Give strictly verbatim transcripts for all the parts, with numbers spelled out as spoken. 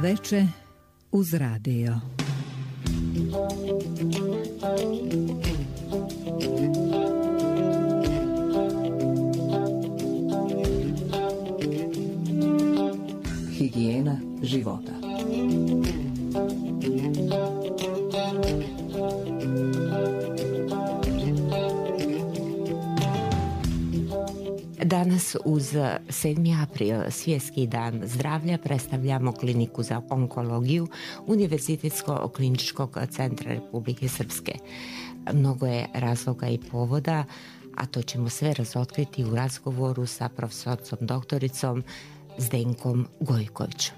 Veče uz radio. Higijena života. Danas uz sedmi april, Svjetski dan zdravlja, predstavljamo kliniku za onkologiju Univerzitetskog kliničkog centra Republike Srpske. Mnogo je razloga i povoda, a to ćemo sve razotkriti u razgovoru sa profesorcom doktoricom Zdenkom Gojkovićem,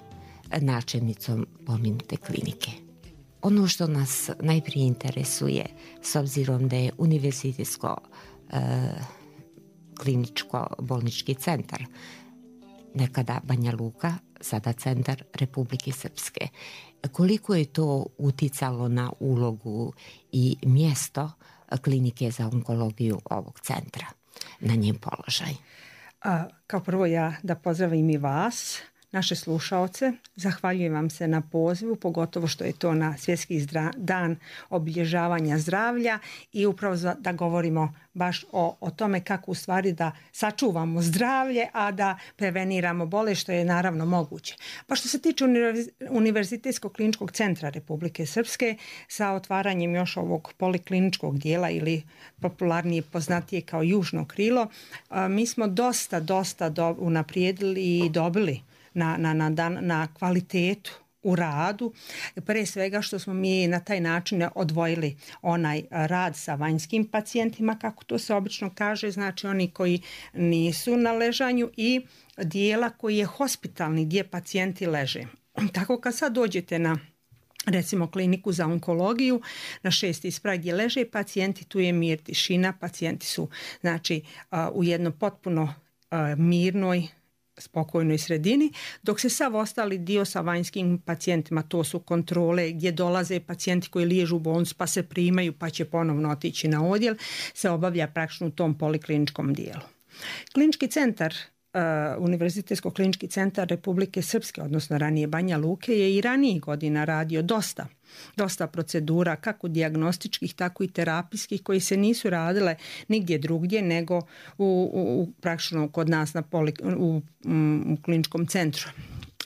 načelnicom pomenute klinike. Ono što nas najprije interesuje, s obzirom da je Univerzitetsko e, kliničko-bolnički centar, nekada Banja Luka, sada centar Republike Srpske. Koliko je to uticalo na ulogu i mjesto klinike za onkologiju ovog centra, na njen položaj? A, kao prvo ja da pozdravim i vas, naše slušaoce. Zahvaljujem vam se na pozivu, pogotovo što je to na Svjetski zdra- dan obilježavanja zdravlja i upravo za, da govorimo baš o, o tome kako u stvari da sačuvamo zdravlje, a da preveniramo bolest, što je naravno moguće. Pa što se tiče Univerzitetskog kliničkog centra Republike Srpske, sa otvaranjem još ovog polikliničkog dijela ili popularnije poznatije kao južno krilo, a, mi smo dosta, dosta do, unaprijedili i dobili Na, na, na, na kvalitetu u radu, pre svega što smo mi na taj način odvojili onaj rad sa vanjskim pacijentima, kako to se obično kaže, znači oni koji nisu na ležanju, i dijela koji je hospitalni, gdje pacijenti leže. Tako kad sad dođete na recimo kliniku za onkologiju, na šesti sprat gdje leže pacijenti, tu je mir, tišina, pacijenti su znači u jedno potpuno mirnoj, spokojnoj sredini, dok se sav ostali dio sa vanjskim pacijentima, to su kontrole gdje dolaze pacijenti koji liježu u bolnicu pa se primaju pa će ponovno otići na odjel, se obavlja praktično u tom polikliničkom dijelu. Klinički centar, uh, Univerzitetsko klinički centar Republike Srpske, odnosno ranije Banja Luke, je i ranijih godina radio dosta dosta procedura, kako dijagnostičkih, tako i terapijskih, koji se nisu radile nigdje drugdje nego u, u, u praktično kod nas na poli, u, u kliničkom centru.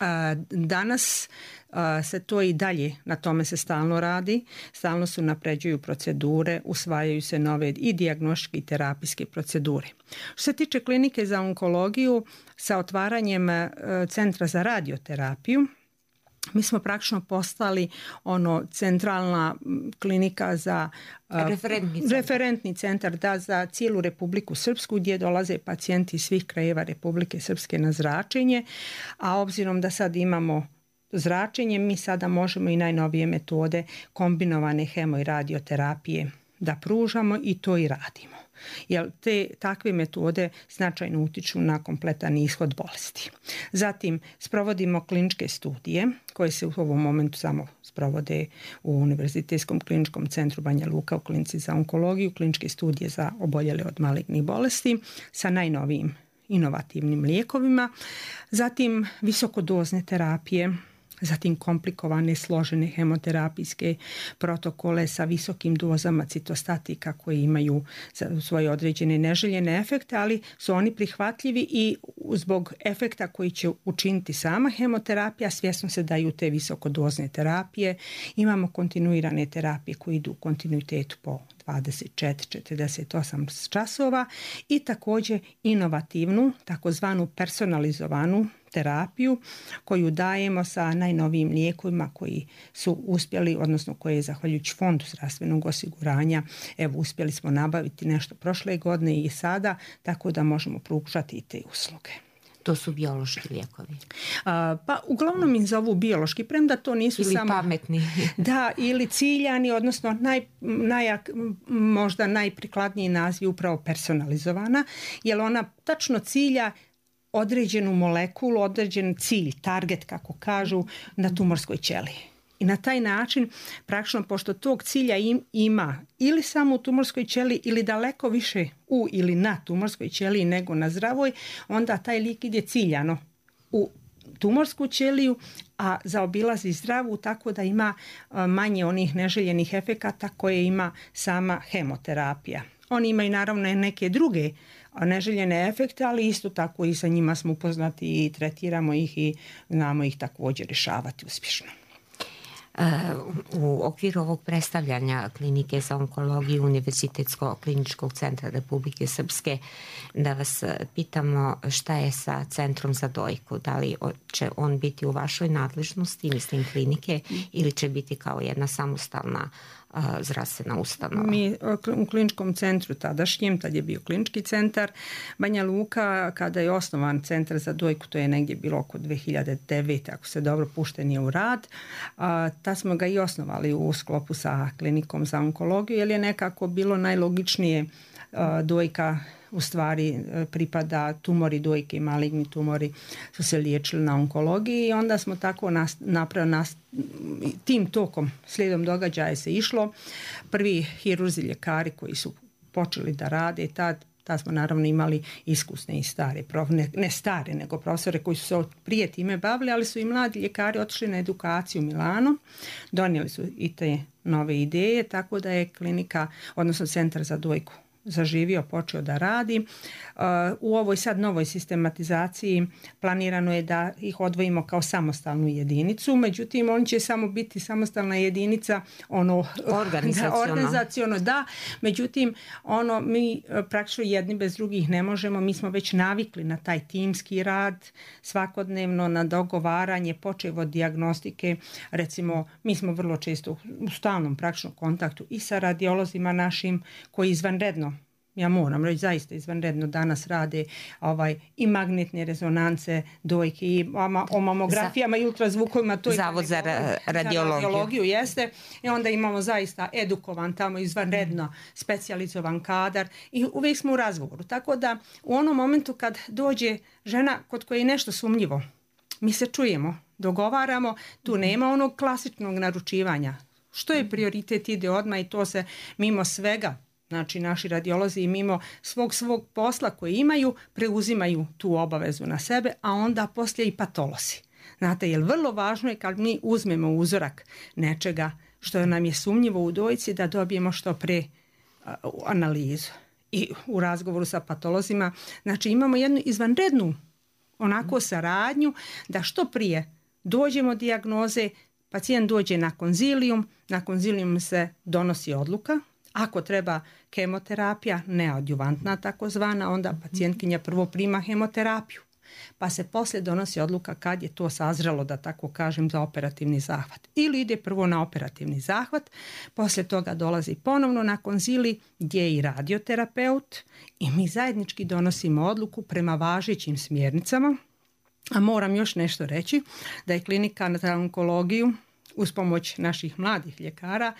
A, danas a, se to i dalje, na tome se stalno radi, stalno se unapređuju procedure, usvajaju se nove i dijagnostičke i terapijske procedure. Što se tiče klinike za onkologiju, sa otvaranjem a, centra za radioterapiju, mi smo praktično postali ono centralna klinika za referentni centar, referentni centar da, za cijelu Republiku Srpsku, gdje dolaze pacijenti iz svih krajeva Republike Srpske na zračenje, a obzirom da sad imamo zračenje, mi sada možemo i najnovije metode kombinovane hemo i radioterapije da pružamo, i to i radimo. Jer te takve metode značajno utiču na kompletan ishod bolesti. Zatim sprovodimo kliničke studije koje se u ovom momentu samo sprovode u Univerzitetskom kliničkom centru Banja Luka u klinici za onkologiju, kliničke studije za oboljele od malignih bolesti sa najnovijim inovativnim lijekovima. Zatim visokodozne terapije, zatim komplikovane složene hemoterapijske protokole sa visokim dozama citostatika koji imaju svoje određene neželjene efekte, ali su oni prihvatljivi i zbog efekta koji će učiniti sama hemoterapija svjesno se daju te visokodozne terapije. Imamo kontinuirane terapije koje idu u kontinuitetu po dvadeset četiri do četrdeset osam časova i također inovativnu, takozvanu personalizovanu terapiju koju dajemo sa najnovijim lijekovima koji su uspjeli, odnosno koje je zahvaljujući Fondu zdravstvenog osiguranja, evo uspjeli smo nabaviti nešto prošle godine i sada, tako da možemo pružati i te usluge. To su biološki lijekovi? A, pa uglavnom im zovu biološki, premda to nisu ili samo... pametni. Da, ili ciljani, odnosno naj, najak, možda najprikladniji naziv upravo personalizovana, jer ona tačno cilja određenu molekulu, određen cilj, target kako kažu, na tumorskoj ćeliji. I na taj način, praktično, pošto tog cilja im, ima ili samo u tumorskoj ćeliji ili daleko više u ili na tumorskoj ćeliji nego na zdravoj, onda taj lijek ide ciljano u tumorsku ćeliju, a zaobilazi zdravu tako da ima manje onih neželjenih efekata koje ima sama hemoterapija. Oni imaju naravno neke druge neželjene efekte, ali isto tako i sa njima smo upoznati i tretiramo ih i znamo ih također rješavati uspješno. U okviru ovog predstavljanja Klinike za onkologiju Univerzitetskog kliničkog centra Republike Srpske, da vas pitamo šta je sa Centrom za dojku, da li će on biti u vašoj nadležnosti, mislim klinike, ili će biti kao jedna samostalna zdravstvena ustanova? Mi u kliničkom centru tadašnjem, tad je bio klinički centar Banja Luka, kada je osnovan Centar za dojku, to je negdje bilo oko dvije hiljade devete. ako se dobro pušten je u rad. Tad smo ga i osnovali u sklopu sa klinikom za onkologiju, jer je nekako bilo najlogičnije dojka u stvari pripada tumori dojke, maligni tumori su se liječili na onkologiji i onda smo tako napravili tim tokom, slijedom događaja se išlo. Prvi hirurzi ljekari koji su počeli da rade tad, tad smo naravno imali iskusne i stare, ne, ne stare, nego profesore koji su se prije time bavili, ali su i mladi ljekari otišli na edukaciju u Milano, donijeli su i te nove ideje, tako da je klinika, odnosno Centar za dojku zaživio, počeo da radi. U ovoj sad novoj sistematizaciji planirano je da ih odvojimo kao samostalnu jedinicu, međutim oni će samo biti samostalna jedinica ono organizaciono, da, organizaciono da, međutim ono mi praktično jedni bez drugih ne možemo, mi smo već navikli na taj timski rad svakodnevno, na dogovaranje, počev od dijagnostike, recimo mi smo vrlo često u stalnom praktičnom kontaktu i sa radiolozima našim koji izvanredno, ja moram reći, zaista izvanredno danas rade ovaj, i magnetne rezonance dojke i o mamografijama za, i ultrazvukovima. To Zavod za ra- radiologiju. Za radiologiju jeste. I onda imamo zaista edukovan tamo izvanredno specijalizovan kadar i uvijek smo u razgovoru. Tako da u onom momentu kad dođe žena kod koje je nešto sumnjivo, mi se čujemo, dogovaramo, tu nema onog klasičnog naručivanja. Što je prioritet, ide odmah i to se mimo svega, znači naši radiolozi i mimo svog svog posla koji imaju, preuzimaju tu obavezu na sebe, a onda poslije i patolozi. Znate, jer vrlo važno je kad mi uzmemo uzorak nečega što nam je sumnjivo u dojci da dobijemo što pre uh, analizu. I u razgovoru sa patolozima, znači imamo jednu izvanrednu onako saradnju da što prije dođemo dijagnoze, pacijent dođe na konzilijum, na konzilijum se donosi odluka. Ako treba kemoterapija, neadjuvantna takozvana, onda pacijentkinja prvo prima hemoterapiju. Pa se poslije donosi odluka kad je to sazrelo, da tako kažem, za operativni zahvat. Ili ide prvo na operativni zahvat, poslije toga dolazi ponovno na konzilij gdje je i radioterapeut i mi zajednički donosimo odluku prema važećim smjernicama. A moram još nešto reći, da je klinika za onkologiju uz pomoć naših mladih ljekara,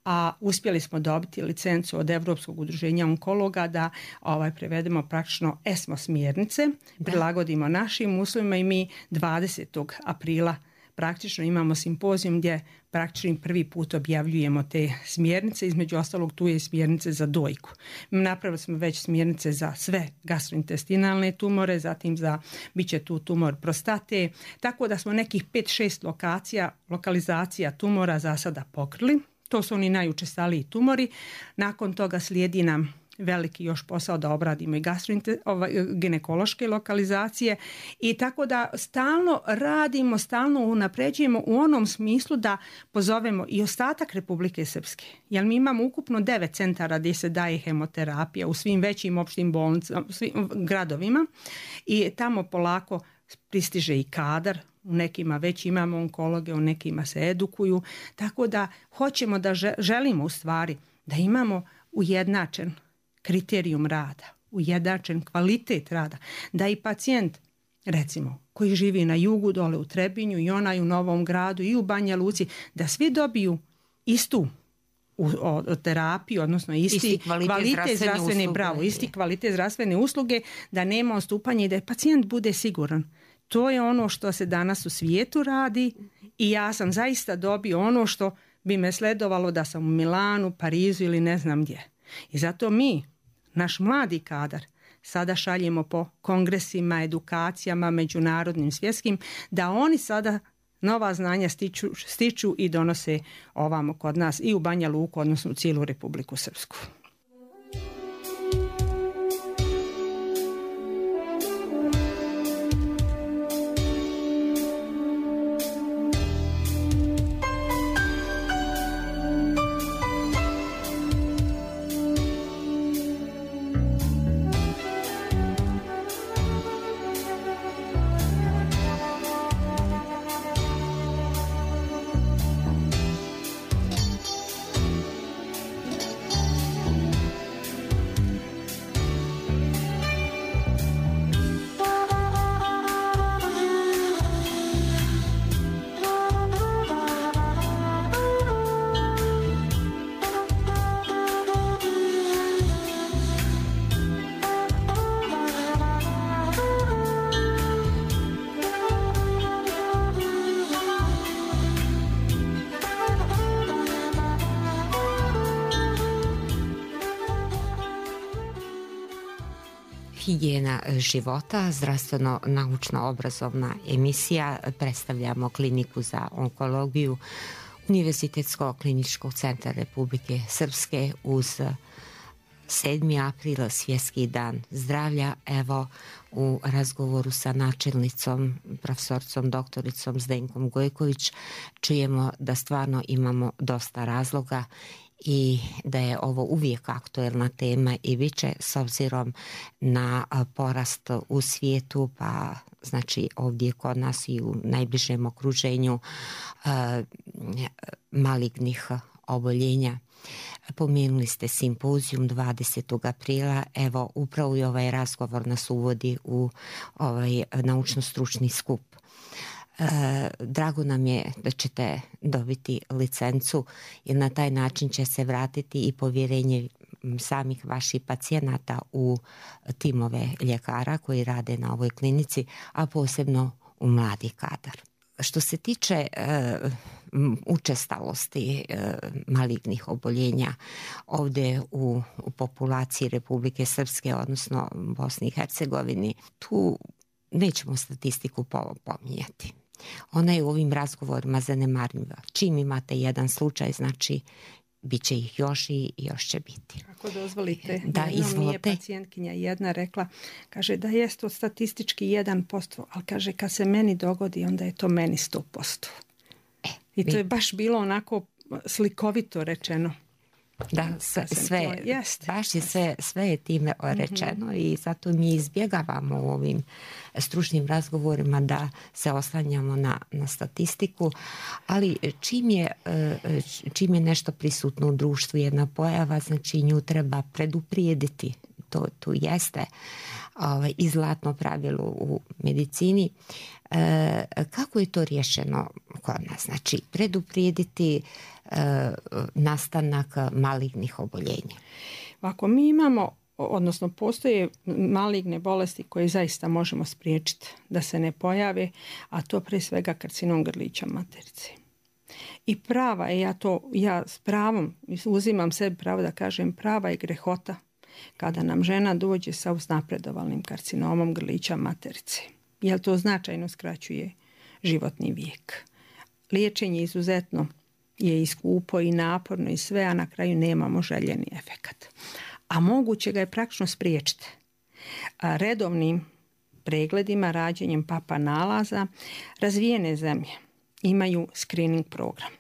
a uspjeli smo dobiti licencu od Europskog udruženja onkologa da ovaj, prevedemo praktično ESMO smjernice, da. prilagodimo našim uslovima i mi dvadesetog aprila praktično imamo simpozijum gdje praktično prvi put objavljujemo te smjernice, između ostalog tu je smjernice za dojku. Napravili smo već smjernice za sve gastrointestinalne tumore, zatim za bit će tu tumor prostate, tako da smo nekih pet šest lokacija, lokalizacija tumora za sada pokrili. To su oni najučestaliji tumori. Nakon toga slijedi nam veliki još posao da obradimo i ginekološke lokalizacije i tako da stalno radimo, stalno unapređujemo u onom smislu da pozovemo i ostatak Republike Srpske. Jer mi imamo ukupno devet centara gdje se daje hemoterapija u svim većim opštim bolnicama, svim gradovima i tamo polako pristiže i kadar. U nekima već imamo onkologe, u nekima se edukuju, tako da hoćemo da želimo u stvari da imamo ujednačen kriterijum rada, ujednačen kvalitet rada, da i pacijent, recimo, koji živi na jugu, dole u Trebinju i onaj u Novom Gradu i u Banja Luci, da svi dobiju istu u, o, terapiju, odnosno isti, isti kvalitet, kvalitet zdravstvene, zdravstvene usluge, bravo, isti kvalitet zdravstvene usluge, da nema odstupanja i da pacijent bude siguran. To je ono što se danas u svijetu radi i ja sam zaista dobio ono što bi me sledovalo da sam u Milanu, Parizu ili ne znam gdje. I zato mi, naš mladi kadar, sada šaljemo po kongresima, edukacijama, međunarodnim, svjetskim, da oni sada nova znanja stiču, stiču i donose ovamo kod nas i u Banja Luku, odnosno u cijelu Republiku Srpsku. Higijena života, zdravstveno-naučno-obrazovna emisija. Predstavljamo kliniku za onkologiju Univerzitetsko-kliničkog centra Republike Srpske uz sedmi april, Svjetski dan zdravlja. Evo, u razgovoru sa načelnicom, profesoricom, doktoricom Zdenkom Gojković, čujemo da stvarno imamo dosta razloga i da je ovo uvijek aktuelna tema i bit će s obzirom na porast u svijetu, pa znači ovdje kod nas i u najbližem okruženju malignih oboljenja. Pomenuli ste simpozijum dvadesetog aprila, evo upravo i ovaj razgovor nas uvodi u ovaj naučno-stručni skup. E, drago nam je da ćete dobiti licencu jer na taj način će se vratiti i povjerenje samih vaših pacijenata u timove ljekara koji rade na ovoj klinici, a posebno u mladi kadar. Što se tiče e, učestalosti e, malignih oboljenja ovdje u, u populaciji Republike Srpske, odnosno Bosni i Hercegovini, tu nećemo statistiku pominjati. Ona je u ovim razgovorima zanemarljiva. Čim imate jedan slučaj, znači bit će ih još i još će biti. Ako dozvolite, da, jednom mi je pacijentkinja jedna rekla, kaže da je to statistički jedan posto, ali kaže kad se meni dogodi, onda je to meni sto posto. E, I to vi... je baš bilo onako slikovito rečeno. Da, sve, sve baš je sve, sve je time rečeno mm-hmm. i zato mi izbjegavamo u ovim stručnim razgovorima da se oslanjamo na, na statistiku, ali čim je, čim je nešto prisutno u društvu, jedna pojava, znači nju treba preduprijediti. To, to jeste ovaj, i zlatno pravilo u medicini. E, kako je to riješeno kod nas? Znači, preduprijediti e, nastanak malignih oboljenja. Ako mi imamo, odnosno postoje maligne bolesti koje zaista možemo spriječiti da se ne pojave, a to pre svega karcinom grlića materice. I prava je, ja to, ja s pravom uzimam sebi pravo da kažem, prava je grehota kada nam žena dođe sa uznapredovalnim karcinomom grlića materice. Jer to značajno skraćuje životni vijek. Liječenje izuzetno je i skupo i naporno i sve, a na kraju nemamo željeni efekat. A moguće ga je praktično spriječiti. A redovnim pregledima, rađenjem papa nalaza, razvijene zemlje imaju screening program.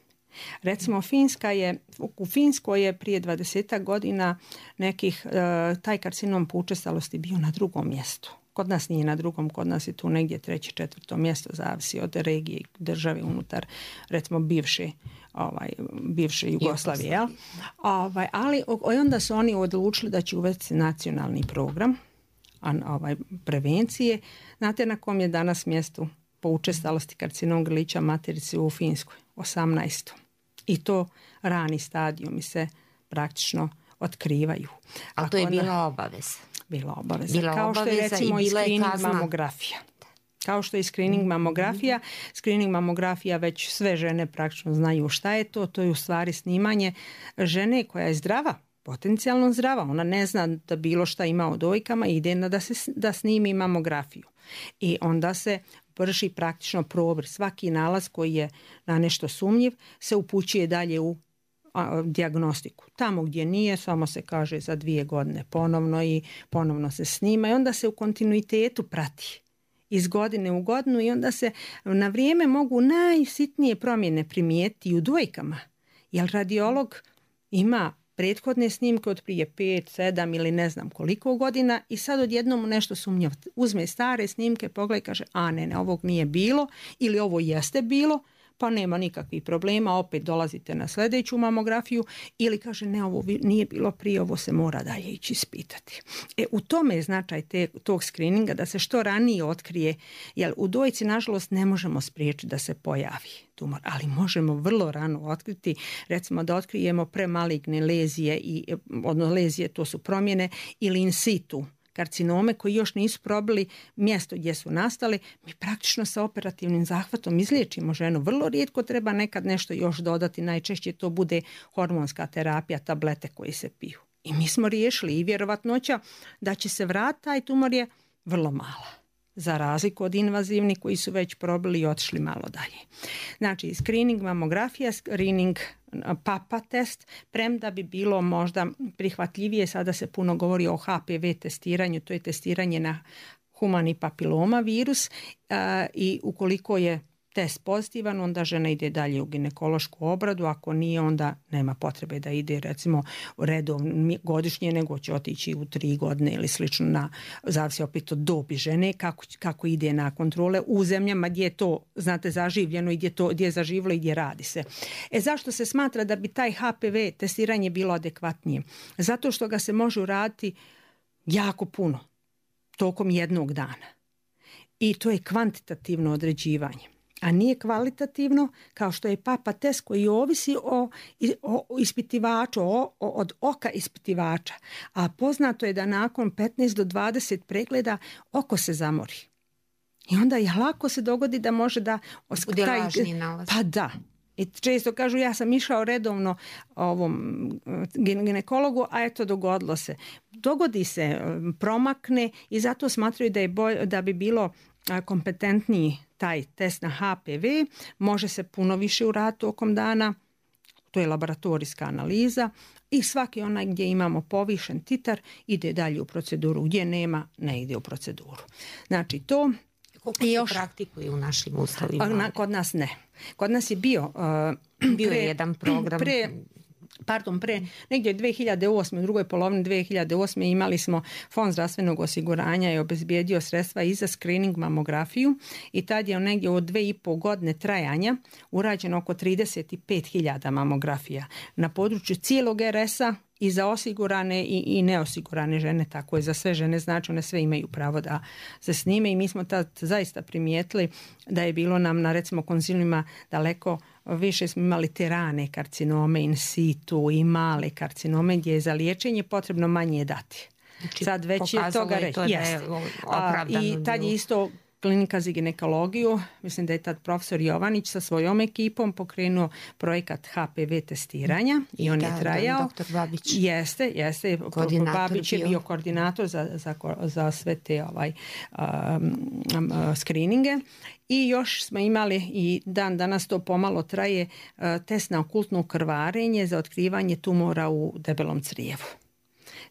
Recimo Finska je, u Finskoj je prije dvadesetak godina nekih, taj karcinom po učestalosti bio na drugom mjestu. Kod nas nije na drugom, kod nas je tu negdje treće, četvrto mjesto, zavisi od regije i države unutar, recimo bivše, ovaj, bivše Jugoslavije. Jel? Ovaj, ali onda su oni odlučili da će uvesti nacionalni program ovaj, prevencije. Znate na kom je danas mjestu po učestalosti karcinom grlića materice u Finskoj? osamnaestom. I to rani stadijumi se praktično otkrivaju. Ali to je bila obaveza. Bila obaveza. Bila Kao što je recimo i, i screening mamografija. Kao što je screening mamografija. Mm-hmm. Screening mamografija već sve žene praktično znaju šta je to. To je u stvari snimanje žene koja je zdrava, potencijalno zdrava, ona ne zna da bilo šta ima o dojkama, ide na da, se, da snimi mamografiju. I onda se vrši praktično probir. Svaki nalaz koji je na nešto sumnjiv se upućuje dalje u a, dijagnostiku. Tamo gdje nije, samo se kaže za dvije godine ponovno i ponovno se snima i onda se u kontinuitetu prati iz godine u godinu i onda se na vrijeme mogu najsitnije promjene primijetiti u dojkama. Jer radiolog ima prethodne snimke od prije pet, sedam ili ne znam koliko godina i sad odjednom nešto sumnjava. Uzme stare snimke, pogleda i kaže a ne, ne, ovog nije bilo ili ovo jeste bilo, pa nema nikakvih problema, opet dolazite na sljedeću mamografiju ili kaže ne, ovo nije bilo prije, ovo se mora dalje ići ispitati. E, u tome je značaj te, tog screeninga da se što ranije otkrije, jer u dojci nažalost ne možemo spriječiti da se pojavi tumor, ali možemo vrlo rano otkriti, recimo da otkrijemo premaligne lezije, i, odnosno lezije to su promjene ili in situ karcinome koji još nisu probili mjesto gdje su nastali, mi praktično sa operativnim zahvatom izliječimo ženu. Vrlo rijetko treba nekad nešto još dodati, najčešće to bude hormonska terapija, tablete koje se piju. I mi smo riješili i vjerovatnoća da će se vratiti taj tumor je vrlo mala. Za razliku od invazivnih koji su već probili i otišli malo dalje. Znači, screening mamografija, screening papa test, premda bi bilo možda prihvatljivije, sada se puno govori o H P V testiranju, to je testiranje na humani papiloma virus i ukoliko je test pozitivan, onda žena ide dalje u ginekološku obradu, ako nije, onda nema potrebe da ide recimo redovno godišnje, nego će otići u tri godine ili slično, na, zavisi opet od dobi žene, kako, kako ide na kontrole u zemljama gdje je to, znate, zaživljeno i gdje, to, gdje je zaživilo i gdje radi se. E zašto se smatra da bi taj H P V testiranje bilo adekvatnije? Zato što ga se može uraditi jako puno, tokom jednog dana. I to je kvantitativno određivanje. A nije kvalitativno kao što je papa test koji ovisi o, o ispitivaču, o, o, od oka ispitivača. A poznato je da nakon petnaest do dvadeset pregleda oko se zamori. I onda je lako se dogodi da može da... Bude lažni nalaz. Pa da. I često kažu ja sam išao redovno ovom ginekologu, a eto dogodilo se. Dogodi se, promakne i zato smatraju da, je bolj, da bi bilo kompetentniji taj test na H P V, može se puno više uraditi tokom dana, to je laboratorijska analiza i svaki onaj gdje imamo povišen titar ide dalje u proceduru, gdje nema ne ide u proceduru. Znači to... Koliko se još praktikuje u našim uslovima? Na, kod nas ne. Kod nas je bio... Uh, bio pre, je jedan program... Pre, Pardon, pre negdje dvije hiljade osme, u drugoj polovini dvije hiljade osme imali smo Fond zdravstvenog osiguranja i obezbijedio sredstva i za screening mamografiju i tad je negdje od dve i pol godine trajanja urađeno oko trideset pet hiljada mamografija na području cijelog R S-a i za osigurane i, i neosigurane žene, tako je za sve žene, znači one sve imaju pravo da se snime i mi smo tad zaista primijetili da je bilo nam na recimo konziliumima daleko više smo imali te rane karcinome in situ i male karcinome gdje je za liječenje potrebno manje dati. Znači, sad već je toga reći. I tad je isto Klinika za ginekologiju, mislim da je tad profesor Jovanić sa svojom ekipom pokrenuo projekat H P V testiranja i on da, je trajao. Doktor Babić. Jeste, jeste. Babić je bio, bio koordinator za, za, za sve te ovaj, um, um, screeninge. I još smo imali i dan danas to pomalo traje uh, test na okultno krvarenje za otkrivanje tumora u debelom crijevu.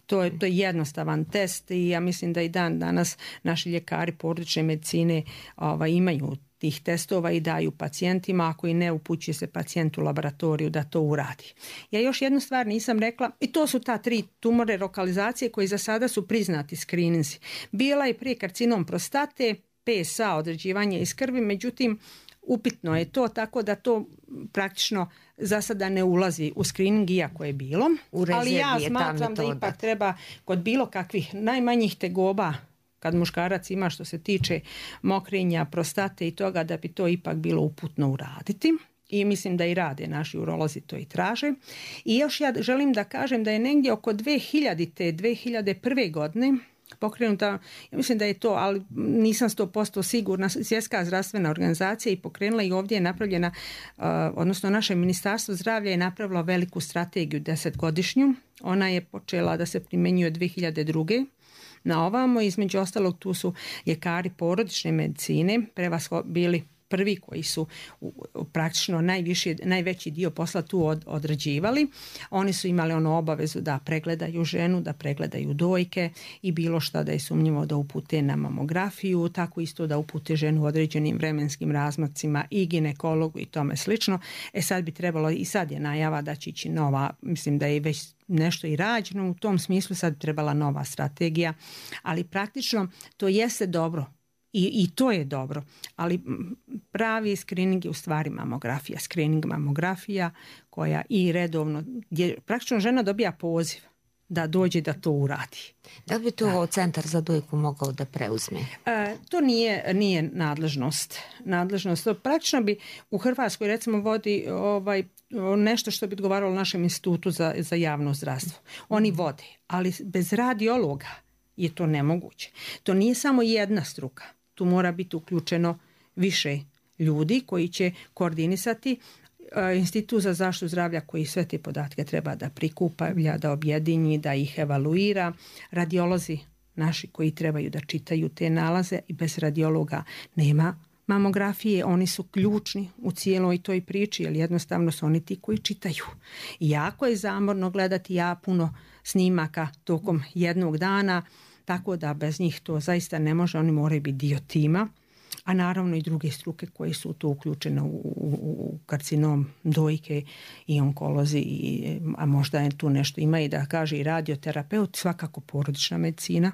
To je, to je jednostavan test i ja mislim da i dan danas naši ljekari porodične medicine ovaj, imaju tih testova i daju pacijentima, ako i ne upućuje se pacijent u laboratoriju da to uradi. Ja još jednu stvar nisam rekla i to su ta tri tumore lokalizacije koji za sada su priznati screeninzi. Bila je prije karcinom prostate, P S A određivanje iz krvi, međutim upitno je to, tako da to praktično za sada ne ulazi u screening iako je bilo. Ali ja smatram da ipak treba kod bilo kakvih najmanjih tegoba kad muškarac ima što se tiče mokrenja, prostate i toga da bi to ipak bilo uputno uraditi. I mislim da i rade naši urolozi to i traže. I još ja želim da kažem da je negdje oko dve hiljadite. dve hiljade prve godine pokrenuta, ja mislim da je to, ali nisam sto posto sigurna, Svjetska zdravstvena organizacija i pokrenula i ovdje je napravljena, odnosno naše ministarstvo zdravlja je napravilo veliku strategiju desetgodišnju. Ona je počela da se primjenjuje dvije hiljade druge na ovamo. Između ostalog tu su ljekari porodične medicine prevasho bili prvi koji su praktično najviši, najveći dio posla tu od, odrađivali. Oni su imali onu obavezu da pregledaju ženu, da pregledaju dojke i bilo šta da je sumnjivo da upute na mamografiju, tako isto da upute ženu u određenim vremenskim razmacima i ginekologu i tome slično. E sad bi trebalo, i sad je najava da će ići nova, mislim da je već nešto i rađeno u tom smislu, sad bi trebala nova strategija, ali praktično to jeste dobro. I, I to je dobro, ali pravi screening je u stvari mamografija. Screening mamografija koja i redovno, gdje praktično žena dobija poziv da dođe da to uradi. Da bi to da. Centar za dojku mogao da preuzme? E, to nije, nije nadležnost. Nadležnost. To praktično bi u Hrvatskoj recimo vodi ovaj, nešto što bi odgovaralo našem institutu za, za javno zdravstvo. Oni vode, ali bez radiologa je to nemoguće. To nije samo jedna struka. Tu mora biti uključeno više ljudi koji će koordinisati. Institut za zaštitu zdravlja koji sve te podatke treba da prikupa, da objedinji, da ih evaluira. Radiolozi naši koji trebaju da čitaju te nalaze i bez radiologa nema mamografije. Oni su ključni u cijeloj toj priči jer jednostavno su oni ti koji čitaju. I jako je zamorno gledati ja puno snimaka tokom jednog dana, tako da bez njih to zaista ne može, oni moraju biti dio tima, a naravno i druge struke koje su tu uključene u, u, u karcinom dojke i onkolozi, i, a možda je tu nešto ima i da kaže i radioterapeut, svakako porodična medicina.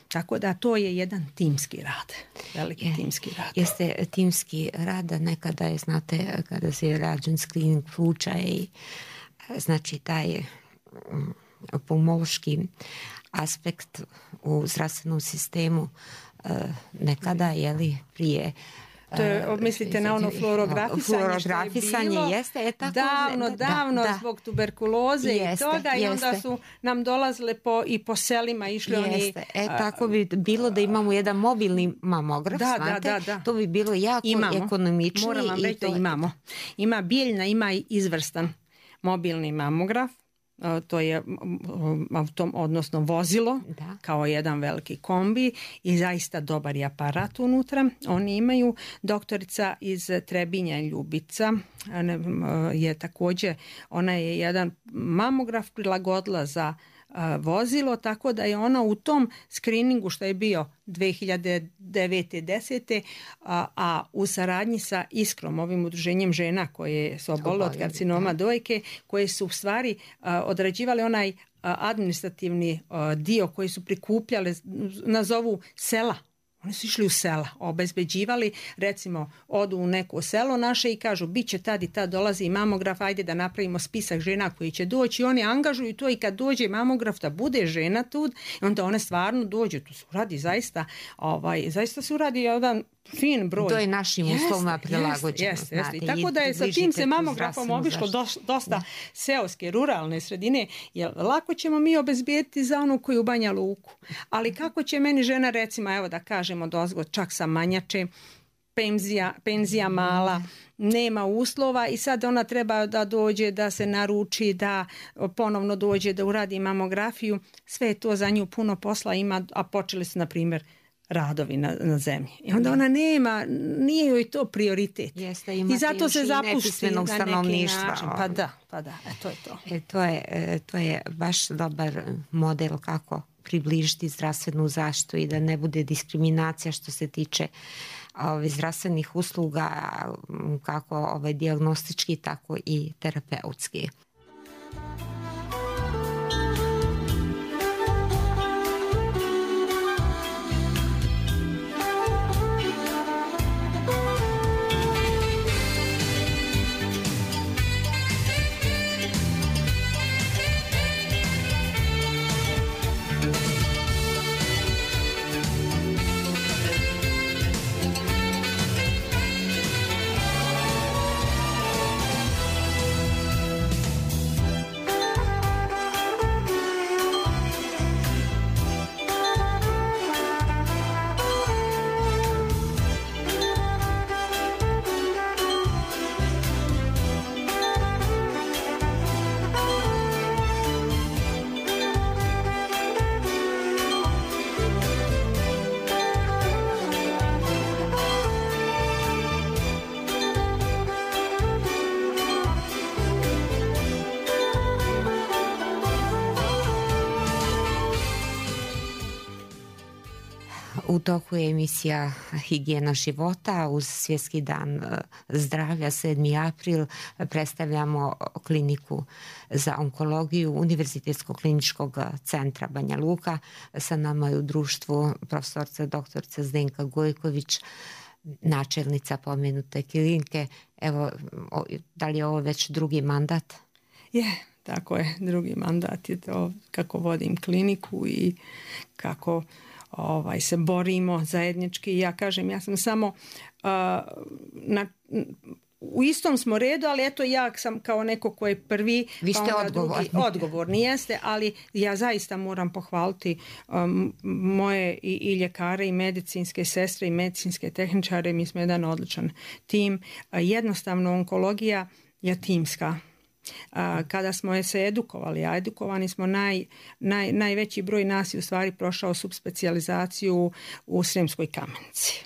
Tako da to je jedan timski rad, veliki je, timski rad. Jeste timski rad, nekada je, znate, kada se je rađen screening pluća i znači taj pulmološki aspekt u zdravstvenom sistemu nekada, je li, prije... To je, mislite na ono fluorografisanje, fluorografisanje što je bilo jeste, je tako, davno, da, davno da, zbog tuberkuloze jeste, i toga jeste. I onda su nam dolazile po, i po selima išli jeste. oni... E, tako bi bilo da imamo jedan mobilni mamograf, da, znate, da, da, da. To bi bilo jako imamo. Ekonomičnije. Moram vam reći da imamo. Ima biljna, ima i izvrstan mobilni mamograf. To je autom, odnosno vozilo, da. Kao jedan veliki kombi i zaista dobar je aparat unutra. Oni imaju, doktorica iz Trebinja Ljubica je također, ona je jedan mamograf prilagodila za vozilo, tako da je ona u tom screeningu što je bio dvije hiljade devete desete a, a u saradnji sa Iskrom, ovim udruženjem žena koje su obolile od karcinoma dojke, koje su u stvari a, odrađivali onaj a, administrativni a, dio koji su prikupljali, nazovu sela. Oni su išli u sela, obezbeđivali, recimo odu u neko selo naše i kažu bit će tad i tad dolazi i mamograf, ajde da napravimo spisak žena koji će doći. Oni angažuju to i kad dođe mamograf da bude žena tu, onda one stvarno dođu. Tu se uradi zaista, ovaj, zaista se uradi jedan fin broj. To je našim uslovima prilagođeno. Jeste, jeste. I tako da je sa tim se mamografom obišlo dosta da. Seoske, ruralne sredine, jer lako ćemo mi obezbijeti za onu koju u Banja Luku. Ali kako će meni žena, recimo, evo da kažemo dozgo, čak sa manjače, penzija, penzija mala, nema uslova i sad ona treba da dođe, da se naruči, da ponovno dođe, da uradi mamografiju. Sve je to za nju puno posla ima, a počeli su, na primjer, radovi na, na zemlji. I onda ona nema, nije joj to prioritet. Jeste, i zato se zapušti na neki način. Pa da, pa da, e, to je to. E, to je, to je baš dobar model kako približiti zdravstvenu zaštitu i da ne bude diskriminacija što se tiče ove, zdravstvenih usluga, kako ove, dijagnostički, tako i terapeutski. U toku je emisija Higijena života uz Svjetski dan zdravlja sedmi april. Predstavljamo kliniku za onkologiju Univerzitetskog kliničkog centra Banja Luka. Sa nama je u društvu profesorca doktorica Zdenka Gojković, načelnica pomenute klinike. Evo, da li je ovo već drugi mandat? Je, tako je, drugi mandat je to kako vodim kliniku i kako ovaj, se borimo zajednički. Ja kažem, ja sam samo uh, na, u istom smo redu, ali eto ja sam kao neko ko je prvi. Vi ste pa odgovorni. Drugi, odgovorni jeste, ali ja zaista moram pohvaliti um, moje i, i ljekare i medicinske sestre i medicinske tehničare. Mi smo jedan odličan tim. Uh, jednostavno onkologija je timska. A, kada smo se edukovali, a edukovani smo naj, naj, najveći broj nas je u stvari prošao subspecijalizaciju u Sremskoj Kamenici.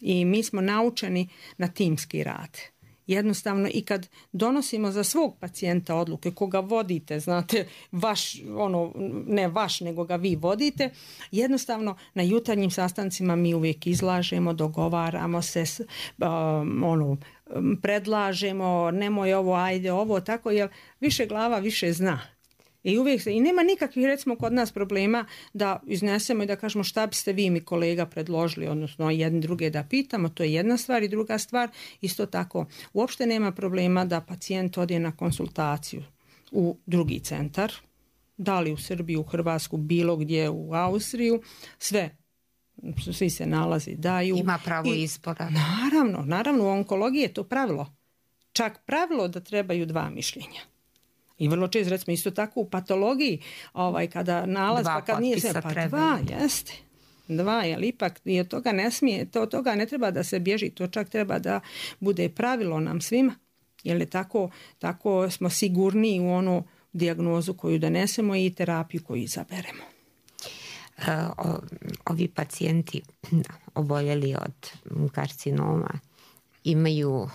I mi smo naučeni na timski rad. Jednostavno i kad donosimo za svog pacijenta odluke, koga vodite, znate, vaš, ono, ne vaš, nego ga vi vodite, jednostavno na jutarnjim sastancima mi uvijek izlažemo, dogovaramo se, um, ono, predlažemo, nemoj ovo, ajde ovo, tako, jer više glava više zna. I uvijek se, i nema nikakvih, recimo, kod nas problema da iznesemo i da kažemo šta biste vi mi kolega predložili, odnosno jedni druge da pitamo, to je jedna stvar. I druga stvar, isto tako, uopšte nema problema da pacijent ode na konsultaciju u drugi centar, da li u Srbiju, u Hrvatsku, bilo gdje, u Austriju, sve, svi se nalazi, daju. Ima pravo I, izbora. Naravno, naravno, u onkologiji je to pravilo. Čak pravilo da trebaju dva mišljenja. I vrlo često, recimo, isto tako u patologiji, ovaj, kada nalaz, dva pa kad nije se, pa treba. dva, jeste. Dva, jer ipak je toga ne smije, to, toga ne treba da se bježi, to čak treba da bude pravilo nam svima, jer je tako, tako smo sigurniji u onu dijagnozu koju donesemo i terapiju koju izaberemo. O, ovi pacijenti oboljeli od karcinoma imaju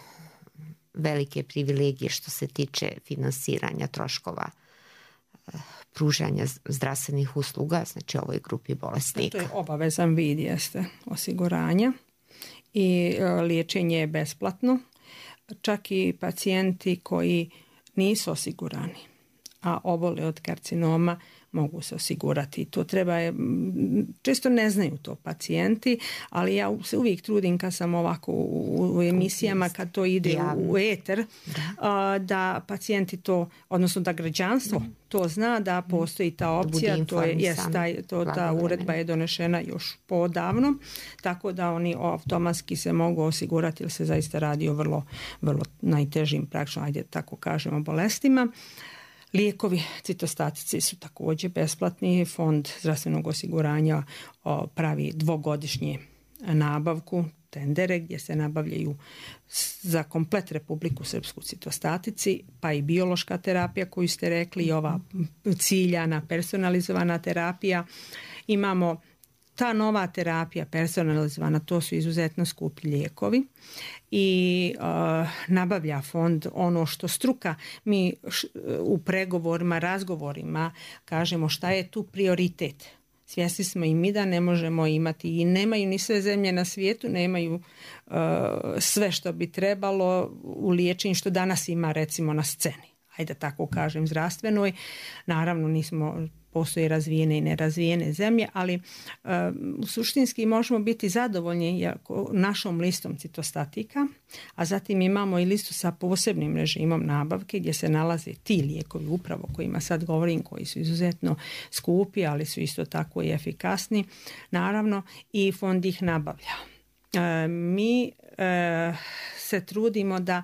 velike privilegije što se tiče finansiranja troškova pružanja zdravstvenih usluga, znači ovoj grupi bolesnika. To je obavezan vid, jeste, osiguranja i liječenje je besplatno. Čak i pacijenti koji nisu osigurani, a obole od karcinoma, mogu se osigurati. To treba je, često ne znaju to pacijenti, ali ja se uvijek trudim kad sam ovako u, u emisijama, kad to ide u, u eter, da. da pacijenti to, odnosno da građanstvo mm. to zna, da postoji ta opcija, to je, jest, taj, to, ta uredba je donešena još podavno, tako da oni automatski se mogu osigurati, jer se zaista radi o vrlo, vrlo najtežim, praktično, ajde tako kažemo, bolestima. Lijekovi citostatici su također besplatni. Fond zdravstvenog osiguranja pravi dvogodišnje nabavku, tendere gdje se nabavljaju za komplet Republiku Srpsku citostatici, pa i biološka terapija koju ste rekli, i ova ciljana, personalizovana terapija. Imamo ta nova terapija personalizovana, to su izuzetno skupi lijekovi i uh, nabavlja fond ono što struka, mi š, u pregovorima, razgovorima kažemo šta je tu prioritet. Svjesni smo i mi da ne možemo imati i nemaju ni sve zemlje na svijetu, nemaju uh, sve što bi trebalo u liječenju što danas ima recimo na sceni. Ajde tako kažem, zdravstvenoj. Naravno nismo, postoje razvijene i nerazvijene zemlje, ali uh, suštinski možemo biti zadovoljni našom listom citostatika, a zatim imamo i listu sa posebnim režimom nabavke gdje se nalaze ti lijekovi upravo kojima sad govorim, koji su izuzetno skupi, ali su isto tako i efikasni, naravno, i fond ih nabavlja. Uh, mi uh, se trudimo da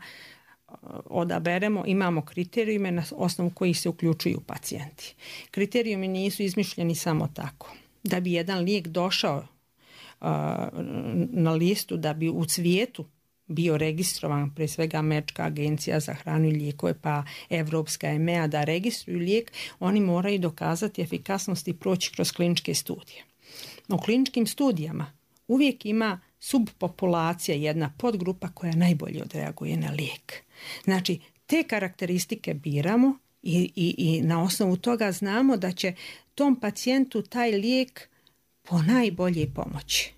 odaberemo, imamo kriterijume na osnovu kojih se uključuju pacijenti. Kriterijumi nisu izmišljeni samo tako. Da bi jedan lijek došao uh, na listu, da bi u svijetu bio registrovan, pre svega Američka agencija za hranu i lijekove, pa Evropska E M E A, da registruju lijek, oni moraju dokazati efikasnost i proći kroz kliničke studije. U kliničkim studijama uvijek ima subpopulacija, jedna podgrupa koja najbolje odreaguje na lijek. Znači, te karakteristike biramo i, i, i na osnovu toga znamo da će tom pacijentu taj lijek po najbolje pomoći.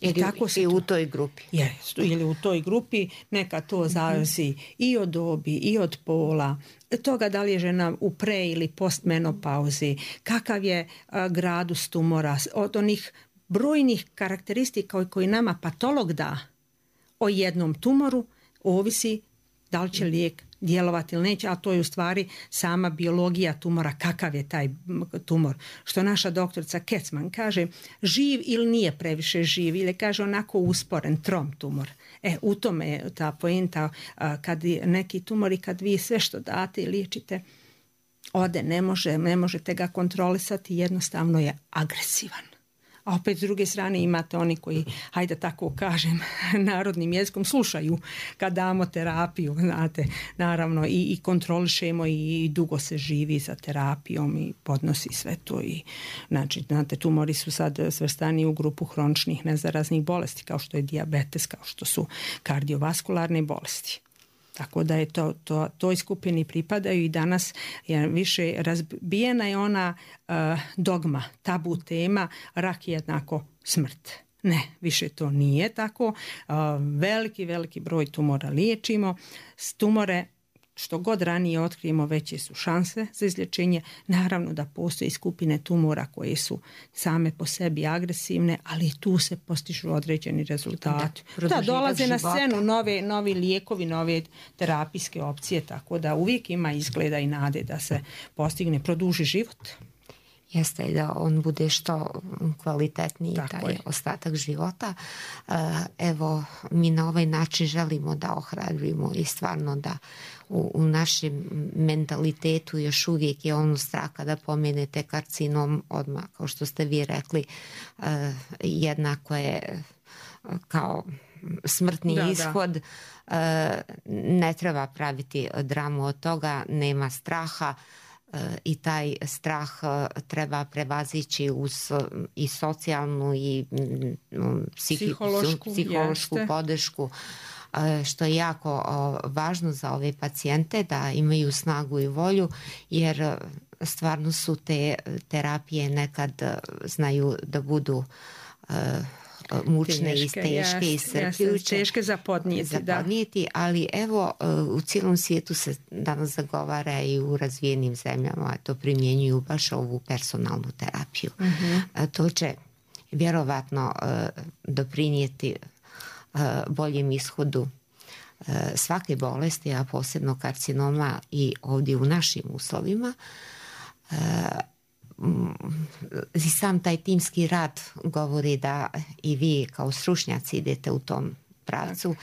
Ili, tako i u toj grupi. Je, ili u toj grupi neka to zavisi mm-hmm. i od dobi i od pola, toga da li je žena u pre ili postmenopauzi, kakav je a, gradus tumora, od onih brojnih karakteristika koji nama patolog da o jednom tumoru, ovisi da li će lijek djelovati ili neće, a to je u stvari sama biologija tumora, kakav je taj tumor. Što naša doktorica Kecman kaže, živ ili nije previše živ, ili kaže onako usporen, trom tumor. E, u tome je ta poenta, kad neki tumori, kad vi sve što date i liječite, ode, ne može, ne možete ga kontrolisati, jednostavno je agresivan. A opet s druge strane imate oni koji, hajde tako kažem, narodnim jezikom slušaju kad damo terapiju, znate, naravno i, i kontrolišemo i dugo se živi za terapijom i podnosi sve to. I, znači, znate, tumori su sad svrstani u grupu hroničnih nezaraznih bolesti, kao što je dijabetes, kao što su kardiovaskularne bolesti. Tako da je to, to, toj skupini pripadaju i danas je više razbijena je ona uh, dogma, tabu tema, rak je jednako smrt. Ne, više to nije tako. Uh, veliki, veliki broj tumora liječimo. Tumore što god ranije otkrijemo, veće su šanse za izlječenje. Naravno da postoji skupine tumora koje su same po sebi agresivne, ali tu se postižu određeni rezultati. Da, da dolaze na scenu nove, novi lijekovi, nove terapijske opcije, tako da uvijek ima izgleda i nade da se postigne, produži život. Jeste i da on bude što kvalitetniji Tako taj je. ostatak života. Evo, mi na ovaj način želimo da ohrabrimo i stvarno da u, u našem mentalitetu još uvijek je ono strah kada pomenete karcinom odmah, kao što ste vi rekli, jednako je kao smrtni da, ishod. Da. Ne treba praviti dramu od toga, nema straha. I taj strah treba prevazići uz i socijalnu i psihi, psihološku, psihološku podršku, što je jako važno za ove pacijente da imaju snagu i volju, jer stvarno su te terapije nekad znaju da budu mučne teške, i teške i srpljuće. Teške za podnijeti, za podnijeti, da. Ali evo u cijelom svijetu se danas zagovara i u razvijenim zemljama to primjenjuju baš ovu personalnu terapiju. Mm-hmm. To će vjerovatno doprinijeti boljem ishodu svake bolesti, a posebno karcinoma i ovdje u našim uslovima. I sam taj timski rad govori da i vi kao stručnjaci idete u tom pravcu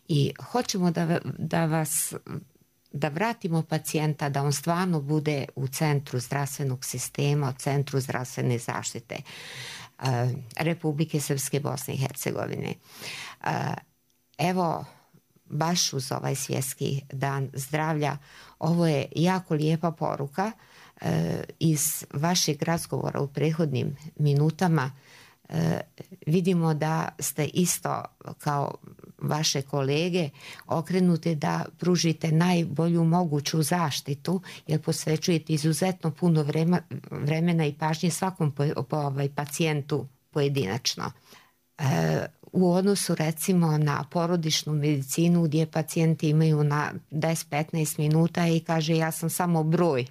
i hoćemo da, da vas da vratimo pacijenta, da on stvarno bude u centru zdravstvenog sistema, u centru zdravstvene zaštite uh, Republike Srpske, Bosne i Hercegovine. Uh, evo, baš uz ovaj svjetski dan zdravlja, ovo je jako lijepa poruka. Iz vašeg razgovora u prethodnim minutama vidimo da ste isto kao vaše kolege okrenuti da pružite najbolju moguću zaštitu, jer posvećujete izuzetno puno vremena i pažnje svakom po, po ovaj pacijentu pojedinačno. U odnosu recimo na porodičnu medicinu gdje pacijenti imaju na deset do petnaest minuta i kaže ja sam samo broj,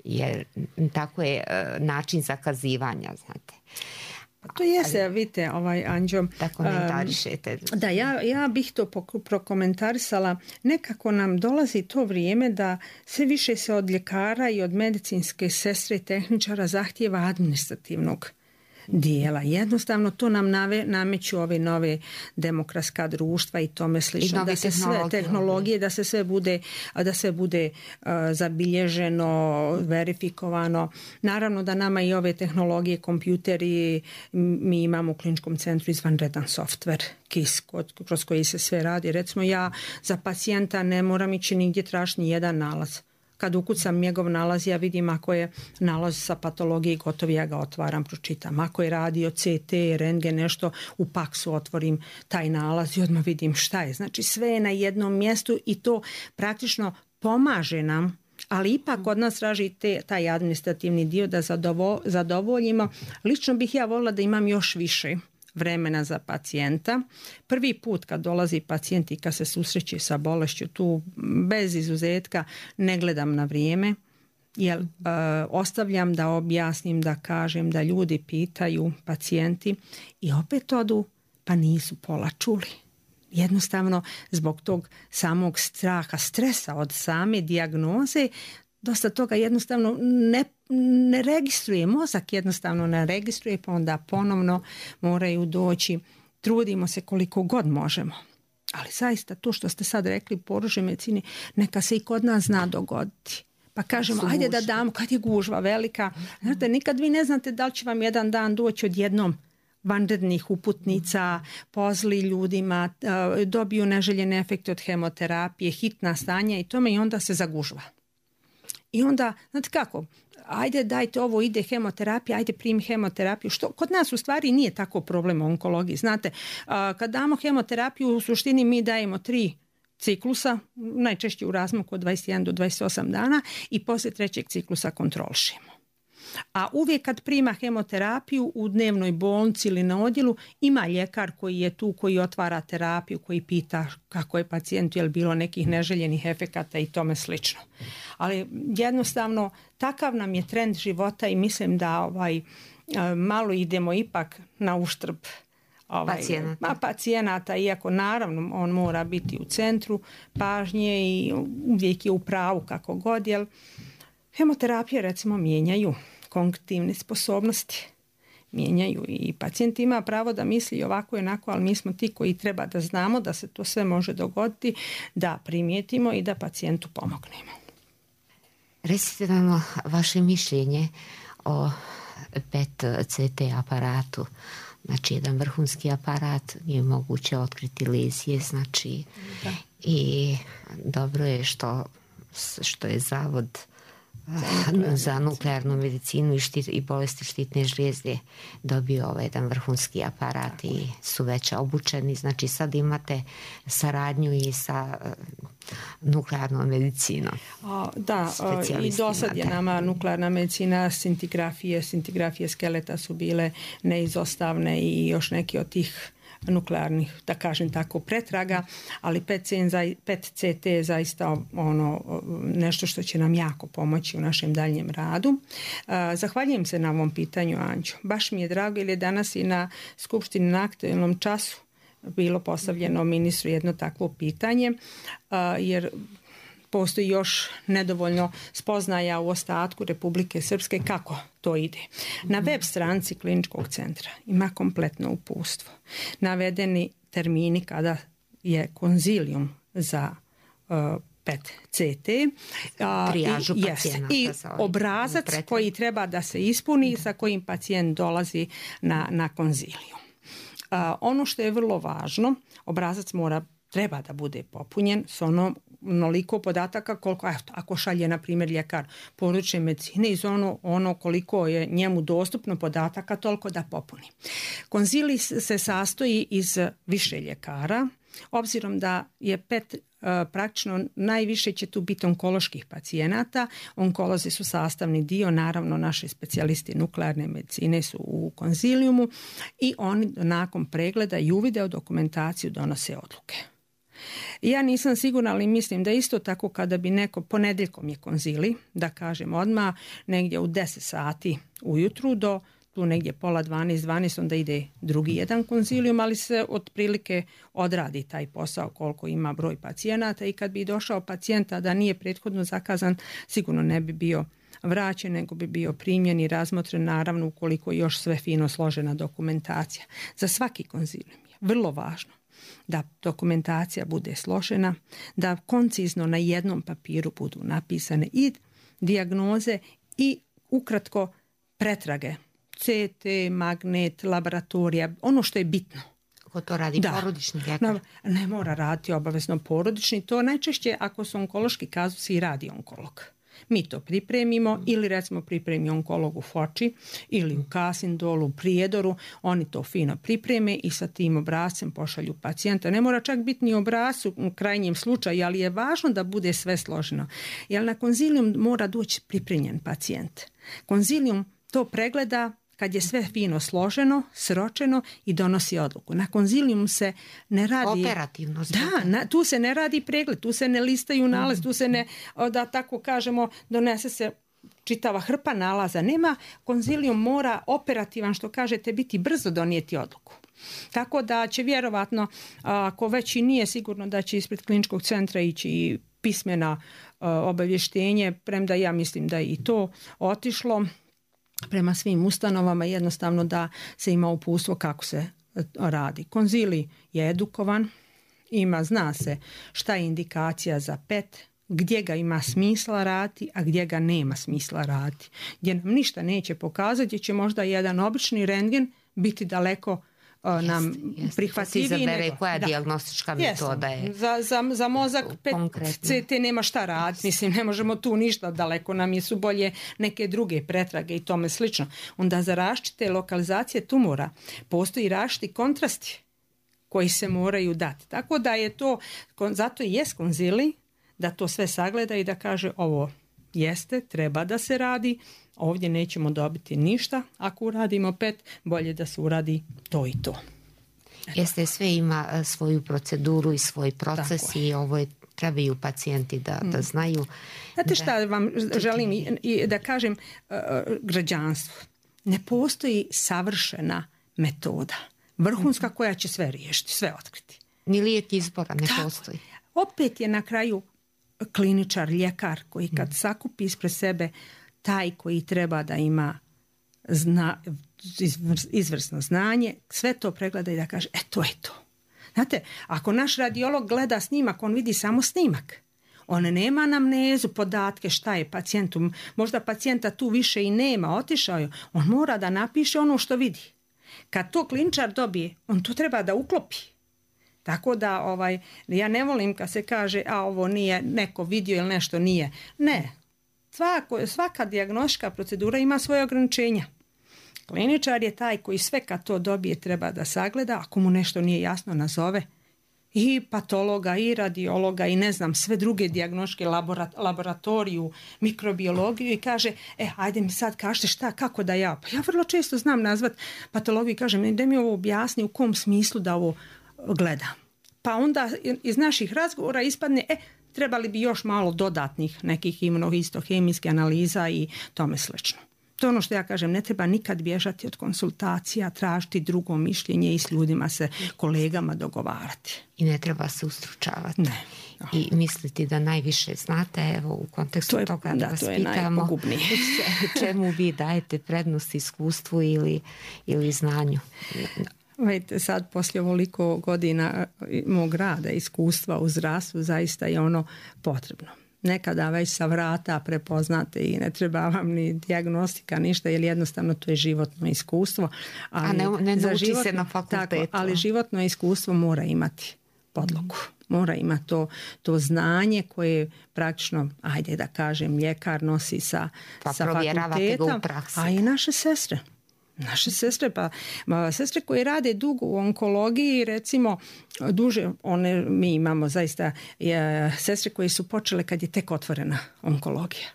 jer tako je način zakazivanja, znate. To jeste, vidite, ovaj Anđo. Da komentarišete. Um, da, ja, ja bih to prokomentarisala. Nekako nam dolazi to vrijeme da sve više se od ljekara i od medicinske sestre i tehničara zahtijeva administrativnog dijela. Jednostavno to nam nave, nameću ove nove demokratska društva i tome slično, da se sve tehnologije, da se sve bude, da se bude uh, zabilježeno, verifikovano. Naravno da nama i ove tehnologije, kompjuteri, mi imamo u kliničkom centru izvanredan softver, K I S, kroz koji se sve radi. Recimo ja za pacijenta ne moram ići nigdje tražiti ni jedan nalaz. Kad ukucam njegov nalaz, ja vidim ako je nalaz sa patologije gotov, ja ga otvaram, pročitam. Ako je radio C T, rentgen, nešto, u paksu otvorim taj nalaz i odmah vidim šta je. Znači sve je na jednom mjestu i to praktično pomaže nam, ali ipak od nas traži te, taj administrativni dio da zadovo, zadovoljimo. Lično bih ja volila da imam još više vremena za pacijenta. Prvi put kad dolazi pacijent i kad se susreće sa bolešću, tu bez izuzetka ne gledam na vrijeme, jer uh, ostavljam da objasnim, da kažem, da ljudi pitaju, pacijenti, i opet odu pa nisu pola čuli. Jednostavno zbog tog samog straha, stresa od same dijagnoze, dosta toga jednostavno ne, ne registruje, mozak jednostavno ne registruje, pa onda ponovno moraju doći. Trudimo se koliko god možemo. Ali zaista to što ste sad rekli, porodičnoj medicini, neka se i kod nas zna dogoditi. Pa kažemo, ajde da damo, kad je gužva velika. Znate, nikad vi ne znate da li će vam jedan dan doći odjednom vanrednih uputnica, pozli ljudima, dobiju neželjene efekte od hemoterapije, hitna stanja i tome, i onda se zagužva. I onda, znate kako, ajde dajte ovo, ide hemoterapija, ajde primi hemoterapiju. Što kod nas u stvari nije tako problem u onkologiji. Znate, kad damo hemoterapiju, u suštini mi dajemo tri ciklusa, najčešće u razmaku od dvadeset jedan do dvadeset osam dana, i poslije trećeg ciklusa kontrolišemo. A uvijek kad prima hemoterapiju u dnevnoj bolnici ili na odjelu, ima ljekar koji je tu, koji otvara terapiju, koji pita kako je pacijentu, je li bilo nekih neželjenih efekata i tome slično. Ali jednostavno takav nam je trend života i mislim da ovaj, malo idemo ipak na uštrb ovaj, pacijenata. pacijenata, iako naravno on mora biti u centru pažnje i uvijek je u pravu kako god, jer hemoterapije recimo mijenjaju kognitivne sposobnosti, mijenjaju, i pacijent ima pravo da misli ovako i onako, ali mi smo ti koji treba da znamo da se to sve može dogoditi, da primijetimo i da pacijentu pomognemo. Recite nam vaše mišljenje o P E T C T aparatu. Znači, jedan vrhunski aparat, je moguće otkriti lezije, znači, da. I dobro je što, što je Zavod za nuklearnu medicinu i, štit, i bolesti štitne žlijezde dobio ovaj jedan vrhunski aparat. Tako. I su već obučeni. Znači sad imate saradnju i sa uh, nuklearnom medicinom. A, da, i do sad je nama nuklearna medicina, scintigrafije, scintigrafije skeleta su bile neizostavne i još neki od tih nuklearnih, da kažem tako, pretraga, ali P E T C T je zaista ono nešto što će nam jako pomoći u našem daljem radu. Zahvaljujem se na ovom pitanju, Anđo. Baš mi je drago, jer je danas i na Skupštini na aktualnom času bilo postavljeno ministru jedno takvo pitanje, jer postoji još nedovoljno spoznaja u ostatku Republike Srpske kako to ide. Na web stranici kliničkog centra ima kompletno uputstvo. Navedeni termini kada je konzilijum za uh, P E T C T trijažu i, pacijenata, i obrazac koji treba da se ispuni, sa kojim pacijent dolazi na, na konzilijum. Uh, ono što je vrlo važno, obrazac mora treba da bude popunjen s onom onoliko podataka koliko, eto, ako šalje na primjer ljekar porodične medicine, iz ono, ono koliko je njemu dostupno podataka, toliko da popuni. Konzilij se sastoji iz više ljekara, obzirom da je P E T praktično najviše će tu biti onkoloških pacijenata. Onkolozi su sastavni dio, naravno naši specijalisti nuklearne medicine su u konzilijumu i oni nakon pregleda i uvide u dokumentaciju donose odluke. Ja nisam sigurna, ali mislim da isto tako kada bi neko, ponedjeljkom je konzili, da kažem odmah, negdje u deset sati ujutru do tu negdje pola dvanaest, dvanaest, onda ide drugi jedan konzilijum, ali se otprilike odradi taj posao koliko ima broj pacijenata, i kad bi došao pacijenta da nije prethodno zakazan, sigurno ne bi bio vraćen, nego bi bio primljen i razmotren, naravno ukoliko još sve fino složena dokumentacija. Za svaki konzilijum je vrlo važno da dokumentacija bude složena, da koncizno na jednom papiru budu napisane i dijagnoze i ukratko pretrage, C T, magnet, laboratorija, ono što je bitno. Ko to radi? Da. Porodični ljekar? Ne, ne mora raditi obavezno porodični, to najčešće ako su onkološki kazusi i radi onkolog. Mi to pripremimo mm. ili recimo pripremi onkolog u Foči ili u Kasindolu, u Prijedoru, oni to fino pripreme i sa tim obrazcem pošalju pacijenta. Ne mora čak biti ni obrazcu u krajnjem slučaju, ali je važno da bude sve složeno. Jer na konzilijum mora doći pripremljen pacijent. Konzilijum to pregleda kad je sve fino složeno, sročeno i donosi odluku. Na konzilijumu se ne radi... Operativno. Da, na, tu se ne radi pregled, tu se ne listaju nalaz, tu se ne, da tako kažemo, donese se čitava hrpa nalaza. Nema, konzilijum mora operativan, što kažete, biti brzo donijeti odluku. Tako da će vjerovatno, ako već i nije sigurno da će ispred kliničkog centra ići i pismena obavještenje, premda ja mislim da je i to otišlo prema svim ustanovama, jednostavno da se ima uputstvo kako se radi. Konzilij je edukovan, ima, zna se šta je indikacija za P E T, gdje ga ima smisla raditi, a gdje ga nema smisla raditi. Gdje nam ništa neće pokazati, gdje će možda jedan obični rentgen biti daleko Jest, nam prihvatljiviji. Se izabere koja da. dijagnostička metoda je. Za, za, za mozak P E T C T nema šta raditi. Mislim, ne možemo tu ništa, daleko nam je su bolje neke druge pretrage i tome slično. Onda za različite lokalizacije tumora postoji različiti kontrasti koji se moraju dati. Tako da je to, zato i jest konzilij, da to sve sagleda i da kaže ovo jeste, treba da se radi, ovdje nećemo dobiti ništa, ako uradimo P E T, bolje da se uradi to i to. Eto. Jeste, sve ima svoju proceduru i svoj proces i ovo je, trebaju pacijenti da, da znaju. Znate šta vam želim i, i da kažem uh, građanstvu? Ne postoji savršena metoda, vrhunska koja će sve riješiti, sve otkriti. Ni lijek izbora ne Tako. postoji. Opet je na kraju kliničar, ljekar koji kad mm. sakupi ispred sebe taj koji treba da ima zna, izvrsno znanje, sve to pregleda i da kaže, e to je to. Znate, ako naš radiolog gleda snimak, on vidi samo snimak. On nema anamnezu, podatke šta je pacijentu. Možda pacijenta tu više i nema, otišao je. On mora da napiše ono što vidi. Kad to kliničar dobije, on to treba da uklopi. Tako da ovaj, ja ne volim kad se kaže a ovo nije neko vidio ili nešto nije. Ne, Svako, svaka dijagnostička procedura ima svoje ograničenja. Kliničar je taj koji sve kad to dobije treba da sagleda, ako mu nešto nije jasno nazove i patologa i radiologa i ne znam sve druge dijagnostičke laborat, laboratoriju, mikrobiologiju i kaže e ajde mi sad kažete šta, kako da ja. Pa ja vrlo često znam nazvat patologiju i kažem da mi ovo objasni u kom smislu da ovo gledam. Pa onda iz naših razgovora ispadne e trebali bi još malo dodatnih nekih imunohistohemijskih analiza i tome slično. To je ono što ja kažem, ne treba nikad bježati od konsultacija, tražiti drugo mišljenje i s ljudima se, kolegama dogovarati. I ne treba se ustručavati. Ne. No. I misliti da najviše znate, evo u kontekstu to je, toga da, da vas to je pitamo čemu vi dajete prednost iskustvu ili, ili znanju. Vidite, sad poslije ovoliko godina mog rada, iskustva u zdravstvu, zaista je ono potrebno. Nekada već sa vrata prepoznate i ne treba vam ni dijagnostika, ništa, jer jednostavno to je životno iskustvo. Ali A ne, ne nauči životno, se na fakultetu. Tako, ali životno iskustvo mora imati podlogu. Mora imati to, to znanje koje praktično, ajde da kažem, ljekar nosi sa, pa sa fakultetom, a i naše sestre. Naše sestre, pa sestre koje rade dugo u onkologiji, recimo duže, one mi imamo zaista je, sestre koje su počele kad je tek otvorena onkologija.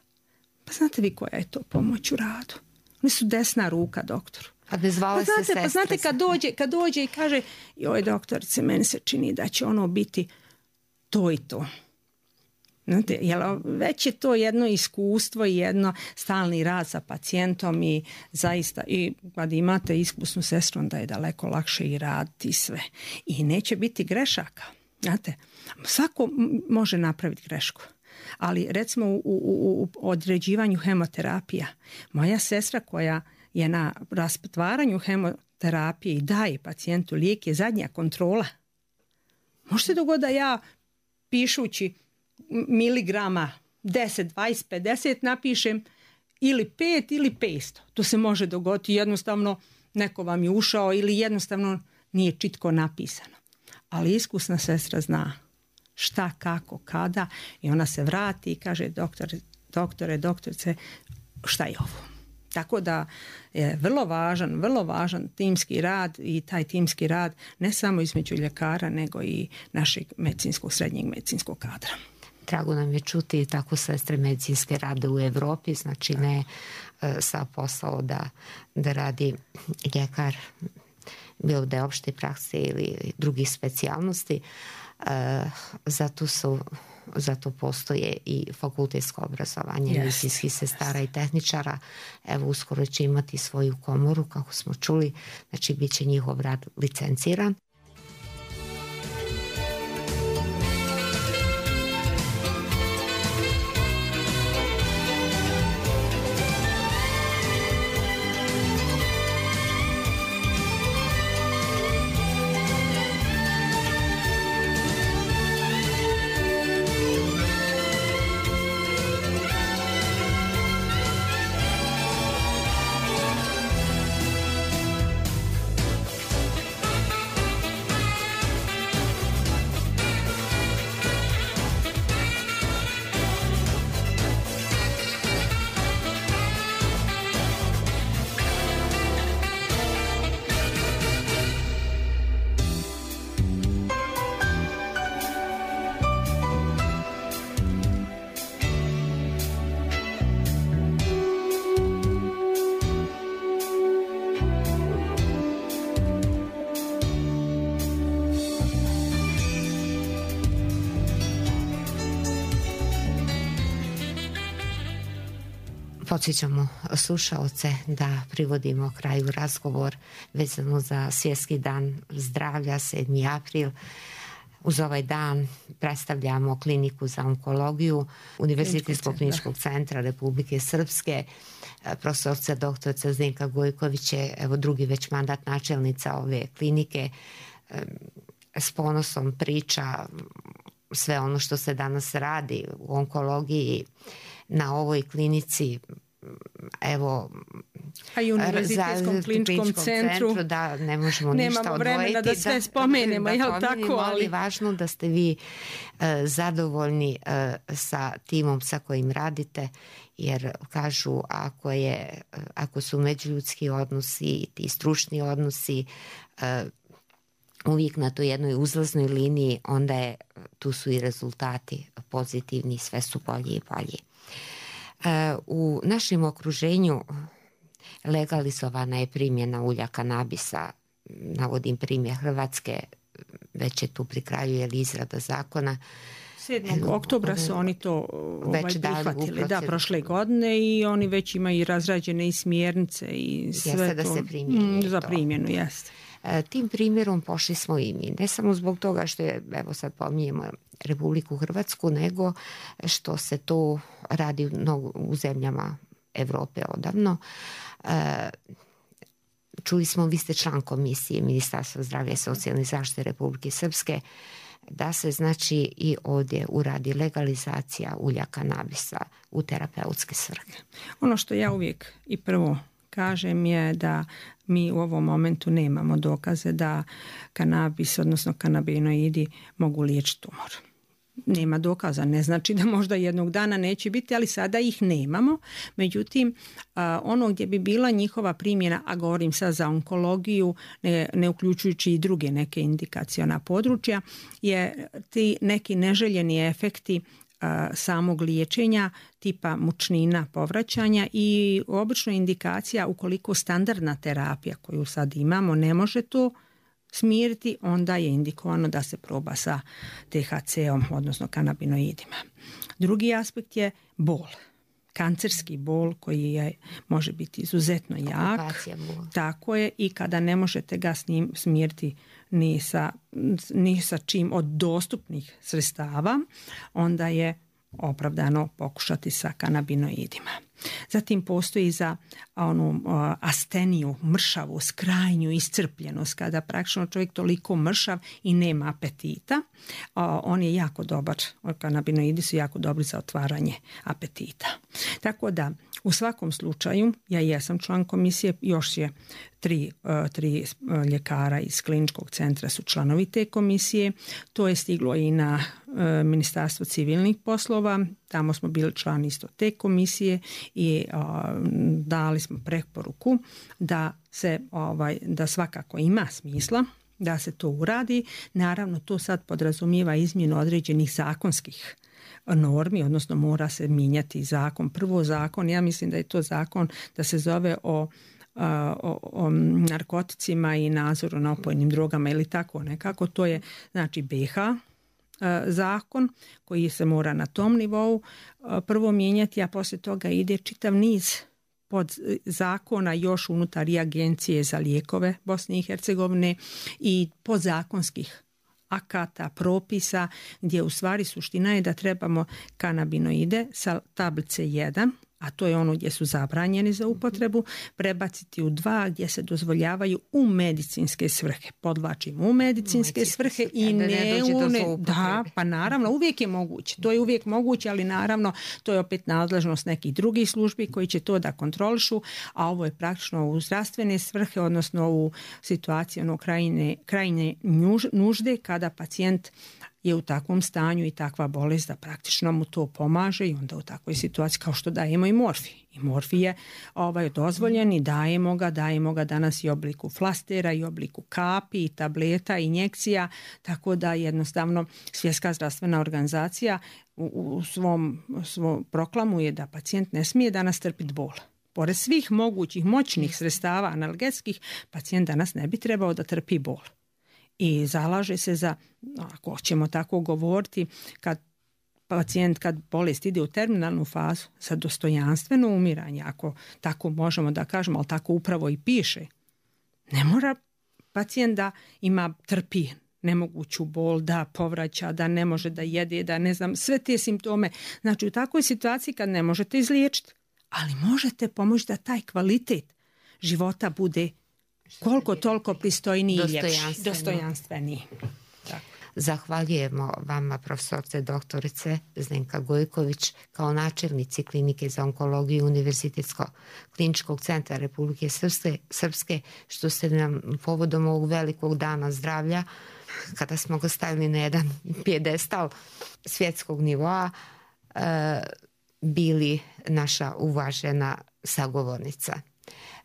Pa znate vi koja je to pomoć u radu? Oni su desna ruka doktoru. A ne zvale pa znate, se sestre. Pa znate kad dođe, kad dođe i kaže joj doktorice, meni se čini da će ono biti to i to. Znate, jel, već je to jedno iskustvo i jedno stalni rad sa pacijentom i zaista i kad imate iskusnu sestru onda je daleko lakše i raditi sve i neće biti grešaka. Znate, svako može napraviti grešku, ali recimo u, u, u određivanju hemoterapija moja sestra koja je na rasptvaranju hemoterapije i daje pacijentu lijek je zadnja kontrola. Može se dogoditi da ja pišući miligrama deset, dvadeset, pedeset napišem ili pet ili petsto. To se može dogoditi jednostavno neko vam je ušao ili jednostavno nije čitko napisano. Ali iskusna sestra zna šta, kako, kada i ona se vrati i kaže doktor, doktore, doktorice, šta je ovo? Tako da je vrlo važan, vrlo važan timski rad i taj timski rad ne samo između ljekara nego i našeg medicinskog, srednjeg medicinskog kadra. Drago nam je čuti tako sestre medicinske rade u Europi, znači ne sa posao da, da radi ljekar, bilo da je opšte prakse ili drugih specijalnosti. Zato su zato postoje i fakultetsko obrazovanje yes. medicinskih sestara i tehničara. Evo, uskoro će imati svoju komoru, kako smo čuli, znači bit će njihov rad licenciran. Podsjećamo slušaoce da privodimo kraju razgovor vezano za Svjetski dan zdravlja, sedmi april. Uz ovaj dan predstavljamo kliniku za onkologiju Univerzitetskog kliničkog centra Republike Srpske. Profesorca doktorica Zdenka Gojković je evo drugi već mandat načelnica ove klinike. S ponosom priča sve ono što se danas radi u onkologiji na ovoj klinici, evo, a i Univerzitetskom kliničkom centru, centru da ne možemo ništa odvojiti. Nemamo vremena da sve spomenemo, da, jel da tako? Ali je važno da ste vi uh, zadovoljni uh, sa timom sa kojim radite, jer kažu ako, je, uh, ako su međuljudski odnosi, ti stručni odnosi uh, uvijek na toj jednoj uzlaznoj liniji, onda je, tu su i rezultati pozitivni, sve su bolji i bolji. U našem okruženju legalizovana je primjena ulja kanabisa, navodim primjer Hrvatske, već je tu pri kraju je izrada zakona. sedmog oktobra su oni to ovaj, prihvatili, da, prošle godine, i oni već imaju razrađene i smjernice i sve jeste to. Da se primjeni mm, za primjenu, jeste. Tim primjerom pošli smo i mi, ne samo zbog toga što je, evo sad pominjemo Republiku Hrvatsku, nego što se to radi u, u zemljama Europe odavno. Čuli smo, vi ste član komisije Ministarstva zdravlja i socijalne zaštite Republike Srpske, da se znači i ovdje uradi legalizacija ulja kanabisa u terapeutske svrhe. Ono što ja uvijek i prvo kažem je da mi u ovom momentu nemamo dokaze da kanabis, odnosno kanabinoidi, mogu liječiti tumor. Nema dokaza, ne znači da možda jednog dana neće biti, ali sada ih nemamo. Međutim, ono gdje bi bila njihova primjena, a govorim sad za onkologiju, ne, ne uključujući i druge neke indikaciona područja, je ti neki neželjeni efekti samog liječenja tipa mučnina, povraćanja, i obično indikacija ukoliko standardna terapija koju sad imamo ne može to smiriti, onda je indikovano da se proba sa T H C-om, odnosno kanabinoidima. Drugi aspekt je bol. Kancerski bol koji je, može biti izuzetno jak. Tako je, i kada ne možete ga s njim smiriti ni sa, ni sa čim od dostupnih sredstava, onda je opravdano pokušati sa kanabinoidima. Zatim postoji za onu asteniju, mršavu, krajnju iscrpljenost, kada praktično čovjek toliko mršav i nema apetita. On je jako dobar, kanabinoidi su jako dobri za otvaranje apetita. Tako da u svakom slučaju, ja jesam član komisije, još je tri, tri ljekara iz kliničkog centra su članovi te komisije. To je stiglo i na Ministarstvo civilnih poslova, tamo smo bili član isto te komisije i a, dali smo preporuku da se ovaj, da svakako ima smisla da se to uradi. Naravno, to sad podrazumijeva izmjenu određenih zakonskih normi, odnosno mora se mijenjati zakon. Prvo zakon, ja mislim da je to zakon da se zove o O, o narkoticima i nadzoru na opojnim drogama ili tako nekako. To je znači B H zakon koji se mora na tom nivou prvo mijenjati, a poslije toga ide čitav niz pod zakona još unutar i Agencije za lijekove Bosne i Hercegovine i podzakonskih akata, propisa, gdje u stvari suština je da trebamo kanabinoide sa tablice jedan, a to je ono gdje su zabranjeni za upotrebu, prebaciti u dva gdje se dozvoljavaju u medicinske svrhe. Podvlačimo u medicinske svrhe i ne, ne u ne... Da, pa naravno, uvijek je moguće. To je uvijek moguće, ali naravno to je opet nadležnost nekih drugih službi koji će to da kontrolišu, a ovo je praktično u zdravstvene svrhe, odnosno u situaciji ono krajine, krajine nužde kada pacijent je u takvom stanju i takva bolest da praktično mu to pomaže i onda u takvoj situaciji kao što dajemo i morfij. I morfij je ovaj, dozvoljen i dajemo ga, dajemo ga danas i u obliku flastera i u obliku kapi i tableta i injekcija, tako da jednostavno Svjetska zdravstvena organizacija u, u svom, svom proklamuje da pacijent ne smije danas trpiti bol. Pored svih mogućih moćnih sredstava analgetskih, pacijent danas ne bi trebao da trpi bol. I zalaže se za, ako ćemo tako govoriti, kad pacijent, kad bolest ide u terminalnu fazu, za dostojanstveno umiranje, ako tako možemo da kažemo, ali tako upravo i piše. Ne mora pacijent da ima trpi nemoguću bol, da povraća, da ne može da jede, da ne znam, sve te simptome. Znači u takvoj situaciji kad ne možete izliječiti, ali možete pomoći da taj kvalitet života bude koliko toliko pristojniji i ljepši, dostojanstveniji. Tako. Zahvaljujemo vama, profesorce doktorice Zdenka Gojković, kao načelnici Klinike za onkologiju Univerzitetsko-kliničkog centra Republike Srpske, Srpske, što ste nam povodom ovog velikog dana zdravlja, kada smo ga stavili na jedan pijedestal svjetskog nivoa, bili naša uvažena sagovornica.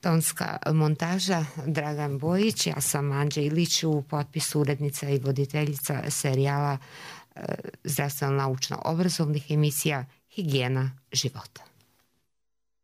Tonska montaža Dragan Bojić, ja sam Anđa Ilić, u potpisu urednica i voditeljica serijala zdravstveno-naučno obrazovnih emisija Higijena života.